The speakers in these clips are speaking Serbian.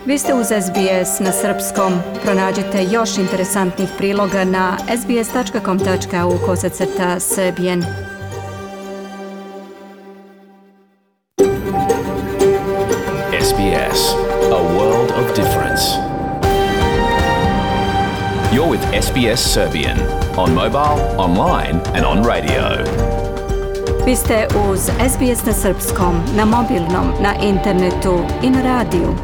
Vi ste uz SBS na srpskom. Pronađite još interesantnih priloga na sbs.com.au/srbijen. SBS, a world of difference. You're with SBS Serbian on mobile, online and on radio. Vi ste uz SBS na srpskom, na mobilnom, na internetu i na radiju.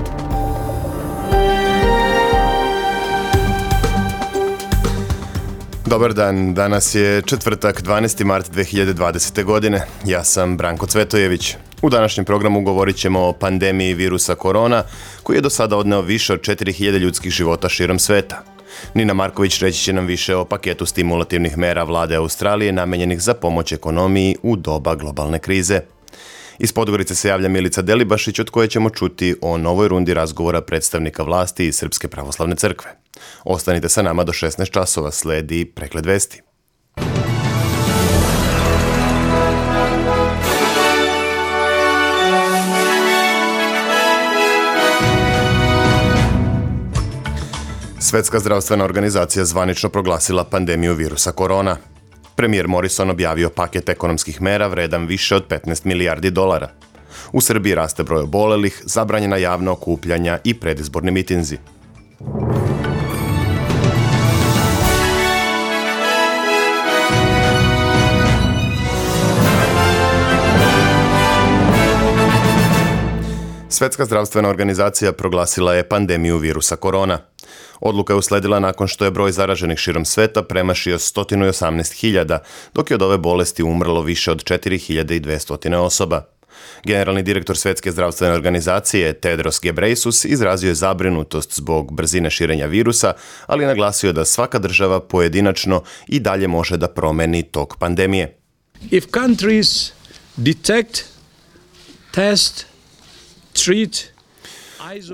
Dobar dan, danas je četvrtak, 12. mart 2020. godine. Ja sam Branko Cvetojević. U današnjem programu govorit ćemo o pandemiji virusa korona, koji je do sada odneo više od 4000 ljudskih života širom sveta. Nina Marković reći će nam više o paketu stimulativnih mera vlade Australije namenjenih za pomoć ekonomiji u doba globalne krize. Iz Podgorice se javlja Milica Delibašić, od koje ćemo čuti o novoj rundi razgovora predstavnika vlasti iz Srpske pravoslavne crkve. Ostanite sa nama do 16 časova, sledi pregled vesti. Svetska zdravstvena organizacija zvanično proglasila pandemiju virusa korona. Premijer Morrison objavio paket ekonomskih mera vredan više od 15 milijardi dolara. U Srbiji raste broj obolelih, zabranjena javna okupljanja i predizborni mitinzi. Svetska zdravstvena organizacija proglasila je pandemiju virusa korona. Odluka je usledila nakon što je broj zaraženih širom sveta premašio 118.000, dok je od ove bolesti umrlo više od 4.200 osoba. Generalni direktor Svetske zdravstvene organizacije Tedros Ghebreyesus izrazio je zabrinutost zbog brzine širenja virusa, ali je naglasio da svaka država pojedinačno i dalje može da promeni tok pandemije. If countries detect, test, treat,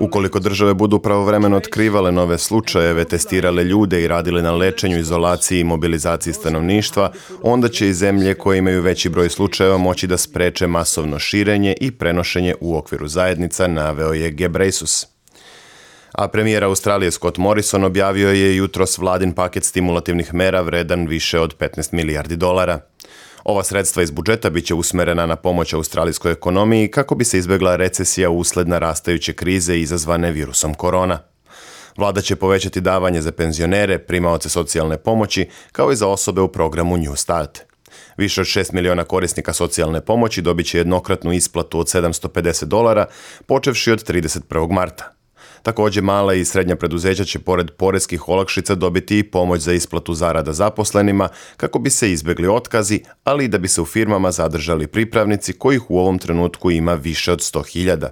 ukoliko države budu pravovremeno otkrivale nove slučajeve, testirale ljude i radile na lečenju, izolaciji i mobilizaciji stanovništva, onda će i zemlje koje imaju veći broj slučajeva moći da spreče masovno širenje i prenošenje u okviru zajednica, naveo je Ghebreyesus. A premijer Australije Scott Morrison objavio je jutros vladin paket stimulativnih mera vredan više od 15 milijardi dolara. Ova sredstva iz budžeta biće usmerena na pomoć australijskoj ekonomiji kako bi se izbjegla recesija usled narastajuće krize izazvane virusom korona. Vlada će povećati davanje za penzionere, primaoce socijalne pomoći, kao i za osobe u programu New Start. Više od 6 miliona korisnika socijalne pomoći dobit će jednokratnu isplatu od $750, počevši od 31. marta. Također mala i srednja preduzeća će pored poreskih olakšica dobiti i pomoć za isplatu zarada zaposlenima kako bi se izbjegli otkazi, ali i da bi se u firmama zadržali pripravnici kojih u ovom trenutku ima više od 100.000.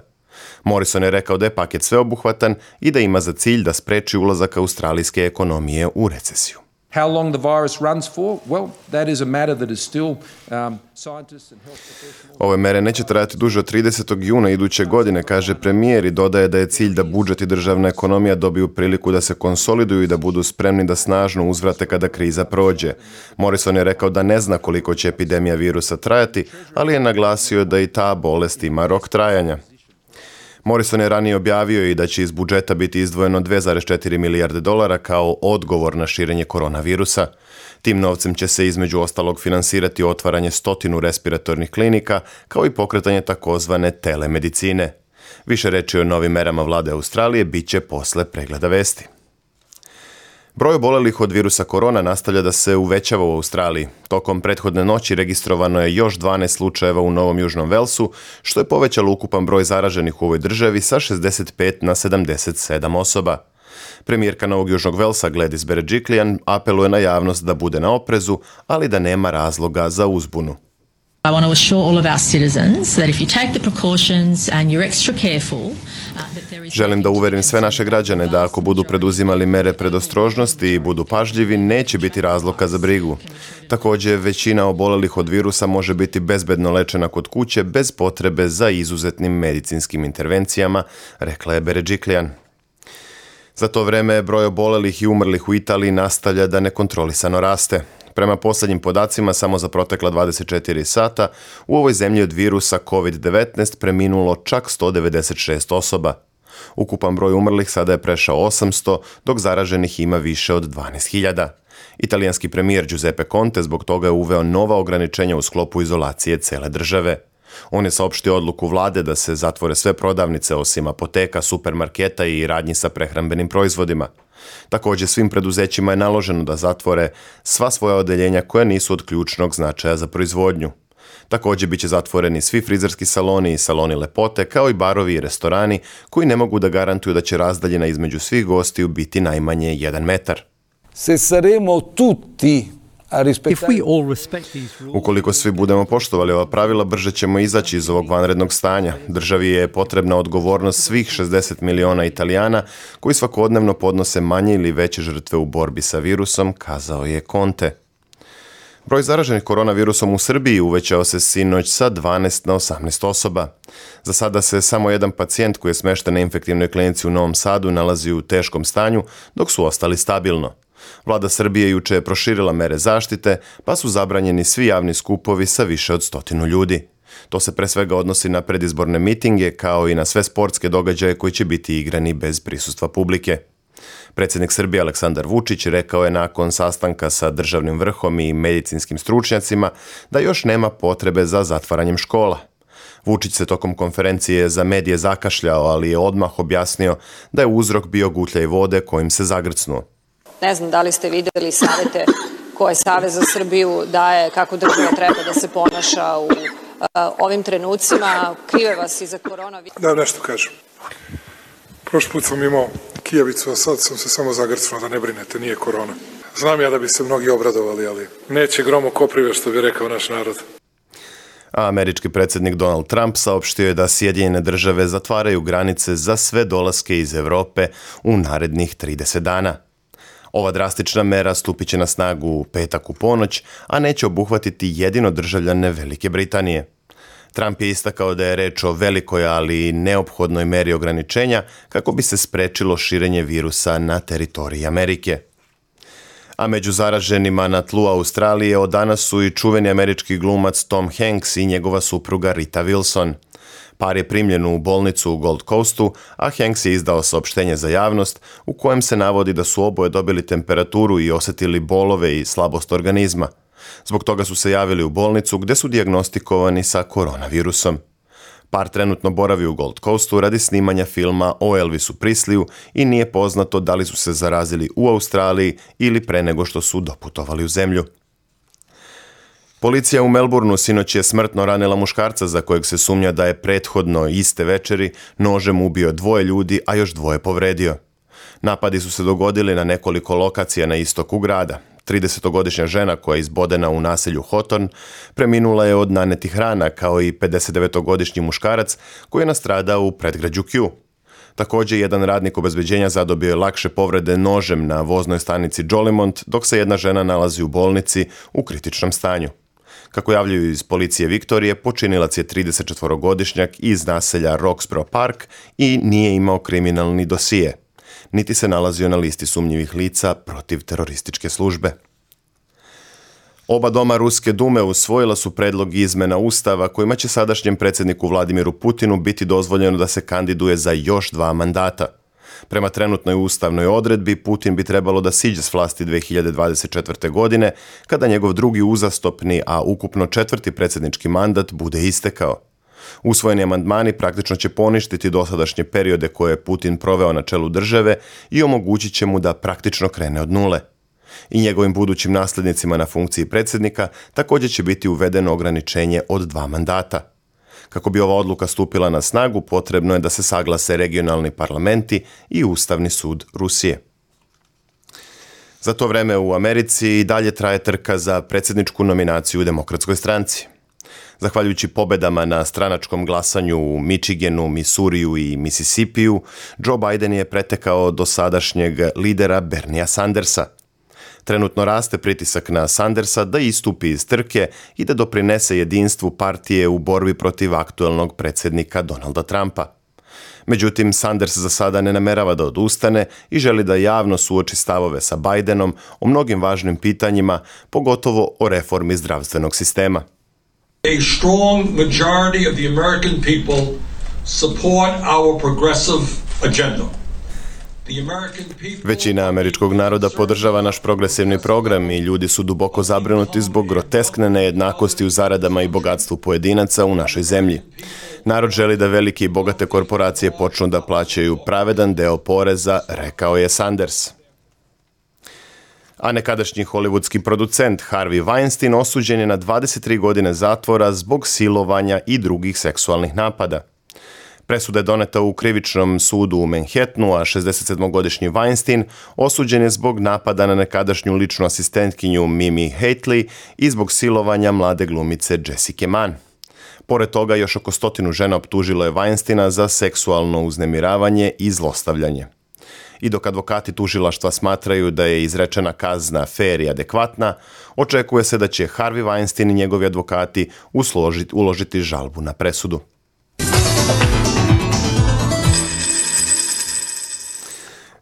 Morrison je rekao da je paket sveobuhvatan i da ima za cilj da spreči ulazak australijske ekonomije u recesiju. How long the virus runs for? Well, that is a matter that is still scientists and health professionals. Ove mere neće trajati duže od 30. juna iduće godine, kaže premijer, i dodaje da je cilj da budžet i državna ekonomija dobiju priliku da se konsoliduju i da budu spremni da snažno uzvrate kada kriza prođe. Morrison je rekao da ne zna koliko će epidemija virusa trajati, ali je naglasio da i ta bolest ima rok trajanja. Morrison je ranije objavio i da će iz budžeta biti izdvojeno 2,4 milijarde dolara kao odgovor na širenje koronavirusa. Tim novcem će se između ostalog finansirati otvaranje 100 respiratornih klinika, kao i pokretanje takozvane telemedicine. Više reči o novim merama vlade Australije bit će posle pregleda vesti. Broj obolelih od virusa korona nastavlja da se uvećava u Australiji. Tokom prethodne noći registrovano je još 12 slučajeva u Novom Južnom Velsu, što je povećalo ukupan broj zaraženih u ovoj državi sa 65 na 77 osoba. Premijerka Novog Južnog Velsa Gladys Berejiklian apeluje na javnost da bude na oprezu, ali da nema razloga za uzbunu. I want to assure all of our citizens that if you take the precautions and you're extra careful, that there is... Želim da uverim sve naše građane da ako budu preduzimali mere predostrožnosti i budu pažljivi, neće biti razloga za brigu. Također, većina obolelih od virusa može biti bezbedno lečena kod kuće bez potrebe za izuzetnim medicinskim intervencijama, rekla je Berejiklian. Za to vreme broj obolelih i umrlih u Italiji nastavlja da nekontrolisano raste. Prema posljednjim podacima, samo za protekla 24 sata, u ovoj zemlji od virusa COVID-19 preminulo čak 196 osoba. Ukupan broj umrlih sada je prešao 800, dok zaraženih ima više od 12.000. Italijanski premijer Giuseppe Conte zbog toga je uveo nova ograničenja u sklopu izolacije cele države. On je saopštio odluku vlade da se zatvore sve prodavnice osim apoteka, supermarketa i radnji sa prehrambenim proizvodima. Također svim preduzećima je naloženo da zatvore sva svoja odeljenja koja nisu od ključnog značaja za proizvodnju. Također bit će zatvoreni svi frizerski saloni i saloni lepote, kao i barovi i restorani koji ne mogu da garantuju da će razdaljina između svih gostiju biti najmanje 1 metar. Se saremo tutti a rispettare... Ukoliko svi budemo poštovali ova pravila, brže ćemo izaći iz ovog vanrednog stanja. Državi je potrebna odgovornost svih 60 miliona Italijana koji svakodnevno podnose manje ili veće žrtve u borbi sa virusom, kazao je Conte. Broj zaraženih koronavirusom u Srbiji uvećao se sinoć sa 12 na 18 osoba. Za sada se samo jedan pacijent koji je smešten na infektivnoj klinici u Novom Sadu nalazi u teškom stanju, dok su ostali stabilno. Vlada Srbije juče je proširila mere zaštite, pa su zabranjeni svi javni skupovi sa više od 100 ljudi. To se pre svega odnosi na predizborne mitinge, kao i na sve sportske događaje koji će biti igrani bez prisustva publike. Predsjednik Srbije Aleksandar Vučić rekao je nakon sastanka sa državnim vrhom i medicinskim stručnjacima da još nema potrebe za zatvaranjem škola. Vučić se tokom konferencije za medije zakašljao, ali je odmah objasnio da je uzrok bio gutljaj vode kojim se zagrcnuo. Ne znam da li ste vidjeli savjete koje Savez za Srbiju daje kako država treba da se ponaša u ovim trenucima. Krive vas i za koronavirus. Da, nešto kažem. Prošli put sam imao kijavicu, a sad sam se samo zagrcnuo, da ne brinete, nije korona. Znam ja da bi se mnogi obradovali, ali neće grom u koprive, što bi rekao naš narod. A američki predsjednik Donald Trump saopštio je da Sjedinjene države zatvaraju granice za sve dolaske iz Europe u narednih 30 dana. Ova drastična mera stupit će na snagu u petak u ponoć, a neće obuhvatiti jedino državljane Velike Britanije. Trump je istakao da je reč o velikoj, ali neophodnoj meri ograničenja kako bi se sprečilo širenje virusa na teritoriji Amerike. A među zaraženima na tlu Australije od danas su i čuveni američki glumac Tom Hanks i njegova supruga Rita Wilson. Par je primljen u bolnicu u Gold Coastu, a Hanks je izdao saopštenje za javnost u kojem se navodi da su oboje dobili temperaturu i osjetili bolove i slabost organizma. Zbog toga su se javili u bolnicu gdje su dijagnostikovani sa koronavirusom. Par trenutno boravi u Gold Coastu radi snimanja filma o Elvisu Presleyu i nije poznato da li su se zarazili u Australiji ili pre nego što su doputovali u zemlju. Policija u Melbourneu sinoć je smrtno ranila muškarca za kojeg se sumnja da je prethodno iste večeri nožem ubio 2 ljudi, a još 2 povredio. Napadi su se dogodili na nekoliko lokacija na istoku grada. 30-godišnja žena koja je izbodena u naselju Hawthorne preminula je od nanetih rana, kao i 59-godišnji muškarac koji je nastradao u predgrađu Kew. Također, jedan radnik obezbeđenja zadobio je lakše povrede nožem na voznoj stanici Jolimont, dok se jedna žena nalazi u bolnici u kritičnom stanju. Kako javljaju iz policije Viktorije, počinilac je 34-godišnjak iz naselja Roxborough Park i nije imao kriminalni dosije, niti se nalazio na listi sumnjivih lica protiv terorističke službe. Oba doma Ruske dume usvojila su predlog izmena Ustava kojima će sadašnjem predsjedniku Vladimiru Putinu biti dozvoljeno da se kandiduje za još 2 mandata. Prema trenutnoj ustavnoj odredbi, Putin bi trebalo da siđe s vlasti 2024. godine, kada njegov drugi uzastopni, a ukupno 4. predsjednički mandat bude istekao. Usvojeni amandmani praktično će poništiti dosadašnje periode koje je Putin proveo na čelu države i omogućit će mu da praktično krene od nule. I njegovim budućim nasljednicima na funkciji predsjednika također će biti uvedeno ograničenje od 2 mandata. Kako bi ova odluka stupila na snagu, potrebno je da se saglase regionalni parlamenti i Ustavni sud Rusije. Za to vreme u Americi i dalje traje trka za predsjedničku nominaciju u Demokratskoj stranci. Zahvaljujući pobedama na stranačkom glasanju u Michiganu, Missouriju i Mississippiju, Joe Biden je pretekao dosadašnjeg lidera Berniea Sandersa. Trenutno raste pritisak na Sandersa da istupi iz trke i da doprinese jedinstvu partije u borbi protiv aktuelnog predsjednika Donalda Trumpa. Međutim, Sanders za sada ne namerava da odustane i želi da javno suoči stavove sa Bidenom o mnogim važnim pitanjima, pogotovo o reformi zdravstvenog sistema. A strong majority of the American people support our progressive agenda. Većina američkog naroda podržava naš progresivni program i ljudi su duboko zabrinuti zbog groteskne nejednakosti u zaradama i bogatstvu pojedinaca u našoj zemlji. Narod želi da velike i bogate korporacije počnu da plaćaju pravedan deo poreza, rekao je Sanders. A nekadašnji hollywoodski producent Harvey Weinstein osuđen je na 23 godine zatvora zbog silovanja i drugih seksualnih napada. Presuda je doneta u krivičnom sudu u Manhattanu, a 67-godišnji Weinstein osuđen je zbog napada na nekadašnju ličnu asistentkinju Mimi Hately i zbog silovanja mlade glumice Jessica Mann. Pored toga, još oko 100 žena optužilo je Weinsteina za seksualno uznemiravanje i zlostavljanje. I dok advokati tužilaštva smatraju da je izrečena kazna fer i adekvatna, očekuje se da će Harvey Weinstein i njegovi advokati uložiti žalbu na presudu.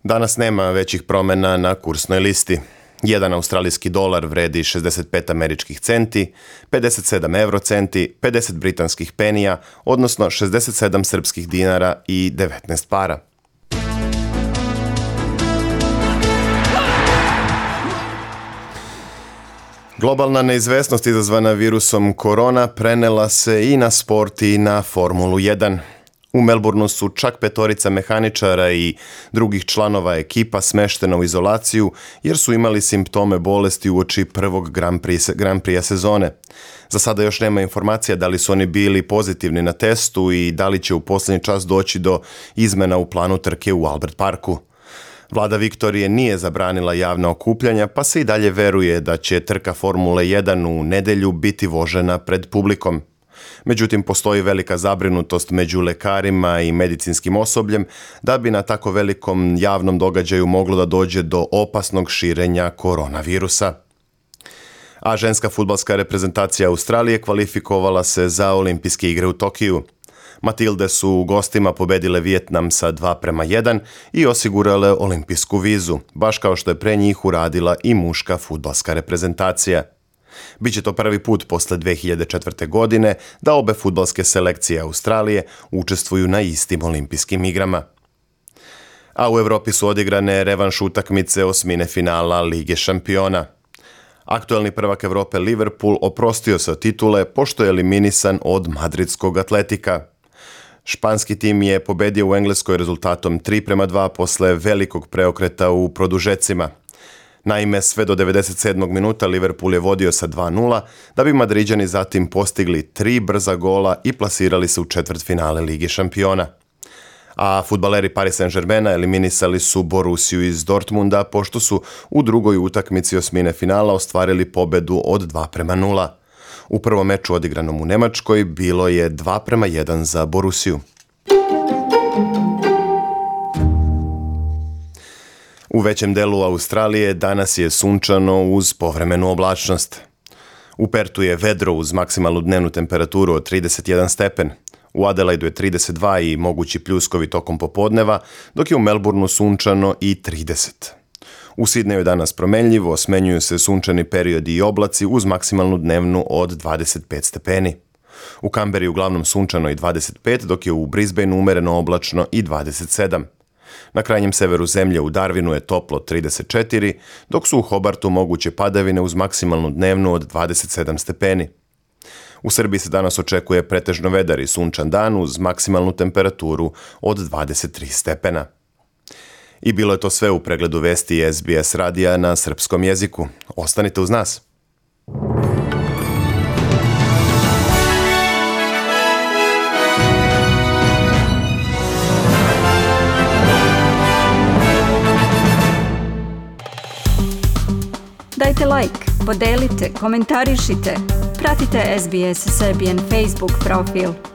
Danas nema većih promjena na kursnoj listi. 1 australijski dolar vredi 65 američkih centi, 57 eurocenti, 50 britanskih penija, odnosno 67 srpskih dinara i 19 para. Globalna neizvesnost izazvana virusom korona prenela se i na sport i na Formulu 1. U Melbourneu su čak 5 mehaničara i drugih članova ekipa smeštena u izolaciju jer su imali simptome bolesti uoči prvog Grand Prix sezone. Za sada još nema informacija da li su oni bili pozitivni na testu i da li će u posljednji čas doći do izmena u planu trke u Albert Parku. Vlada Viktorije nije zabranila javna okupljanja, pa se i dalje veruje da će trka Formule 1 u nedjelju biti vožena pred publikom. Međutim, postoji velika zabrinutost među lekarima i medicinskim osobljem da bi na tako velikom javnom događaju moglo da dođe do opasnog širenja koronavirusa. A ženska fudbalska reprezentacija Australije kvalifikovala se za olimpijske igre u Tokiju. Matilde su u gostima pobedile Vijetnam sa 2:1 i osigurale olimpijsku vizu, baš kao što je pre njih uradila i muška fudbalska reprezentacija. Biće to prvi put posle 2004. godine da obe fudbalske selekcije Australije učestvuju na istim olimpijskim igrama. A u Evropi su odigrane revanš utakmice osmine finala Lige šampiona. Aktuelni prvak Evrope Liverpool oprostio se od titule pošto je eliminisan od madridskog Atletika. Španski tim je pobedio u Engleskoj rezultatom 3:2 posle velikog preokreta u produžecima. Naime, sve do 97. minuta Liverpool je vodio sa 2:0, da bi Madriđani zatim postigli 3 brza gola i plasirali se u četvrtfinale Lige šampiona. A fudbaleri Paris Saint-Germaina eliminisali su Borussiju iz Dortmunda pošto su u drugoj utakmici osmine finala ostvarili pobedu od 2:0. U prvom meču odigranom u Nemačkoj bilo je 2:1 za Borussiju. U većem delu Australije danas je sunčano uz povremenu oblačnost. U Pertu je vedro uz maksimalnu dnevnu temperaturu od 31 stepen. U Adelaidu je 32 i mogući pljuskovi tokom popodneva, dok je u Melbourneu sunčano i 30. U Sidneju je danas promenljivo, smenjuju se sunčani periodi i oblaci uz maksimalnu dnevnu od 25 stepeni. U Kamberi je uglavnom sunčano i 25, dok je u Brisbaneu umereno oblačno i 27. Na krajnjem severu zemlje u Darwinu je toplo 34, dok su u Hobartu moguće padavine uz maksimalnu dnevnu od 27 stepeni. U Srbiji se danas očekuje pretežno vedar i sunčan dan uz maksimalnu temperaturu od 23 stepena. I bilo je to sve u pregledu vesti SBS radija na srpskom jeziku. Ostanite uz nas. Dajte like, podelite, komentarišite. Pratite SBS Serbian Facebook profil.